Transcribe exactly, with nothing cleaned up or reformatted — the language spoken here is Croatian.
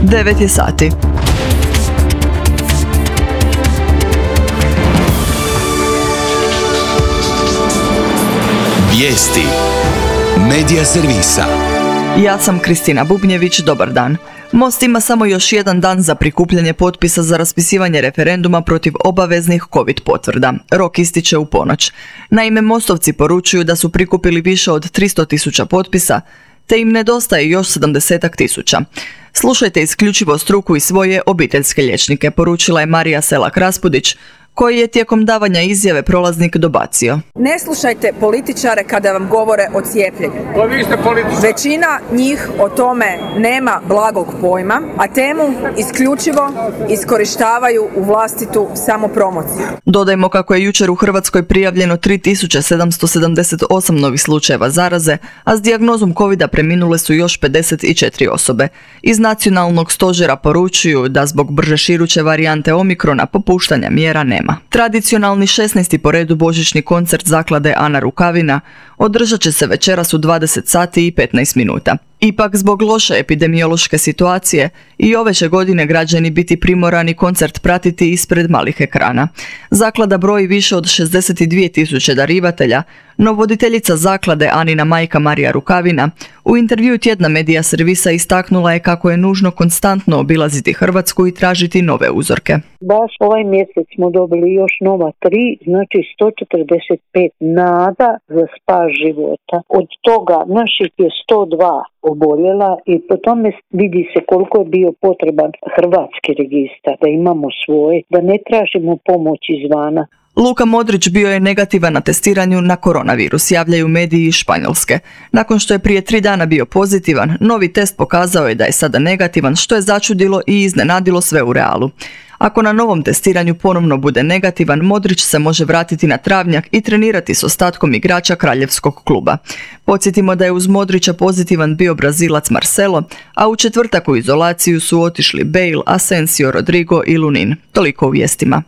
devet je sati. Vijesti Medija servisa. Ja sam Kristina Bubnjević, dobar dan. Most ima samo još jedan dan za prikupljanje potpisa za raspisivanje referenduma protiv obaveznih COVID potvrda. Rok ističe u ponoć. Naime, mostovci poručuju da su prikupili više od tristo tisuća potpisa, te im nedostaje još sedamdeset tisuća. Slušajte isključivo struku i svoje obiteljske liječnike, poručila je Marija Selak-Raspudić, koji je tijekom davanja izjave prolaznik dobacio. Ne slušajte političare kada vam govore o cijepljenju. Većina njih o tome nema blagog pojma, a temu isključivo iskorištavaju u vlastitu samopromociju. Dodajmo kako je jučer u Hrvatskoj prijavljeno tri tisuće sedamsto sedamdeset osam novih slučajeva zaraze, a s dijagnozom covida preminule su još pedeset četiri osobe. Iz nacionalnog stožera poručuju da zbog brže širuće varijante Omikrona popuštanja mjera nema. Tradicionalni šesnaesti po redu božićni koncert zaklade Ana Rukavina održat će se večeras u dvadeset sati i petnaest minuta. Ipak, zbog loše epidemiološke situacije, i ove će godine građani biti primorani koncert pratiti ispred malih ekrana. Zaklada broji više od šezdeset dvije tisuće darivatelja, no voditeljica zaklade Anina majka Marija Rukavina u intervjuu tjedna Medija servisa istaknula je kako je nužno konstantno obilaziti Hrvatsku i tražiti nove uzorke. Baš ovaj mjesec smo dobili još nova tri, znači sto četrdeset pet nada za spas života. Od toga naših je sto dva oboljela i po tome vidi se koliko je bio potreban hrvatski registar, da imamo svoj, da ne tražimo pomoć izvana. Luka Modrić bio je negativan na testiranju na koronavirus, javljaju mediji iz Španjolske. Nakon što je prije tri dana bio pozitivan, novi test pokazao je da je sada negativan, što je začudilo i iznenadilo sve u Realu. Ako na novom testiranju ponovno bude negativan, Modrić se može vratiti na travnjak i trenirati s ostatkom igrača kraljevskog kluba. Podsjetimo da je uz Modrića pozitivan bio Brazilac Marcelo, a u četvrtak u izolaciju su otišli Bale, Asensio, Rodrigo i Lunin. Toliko u vijestima.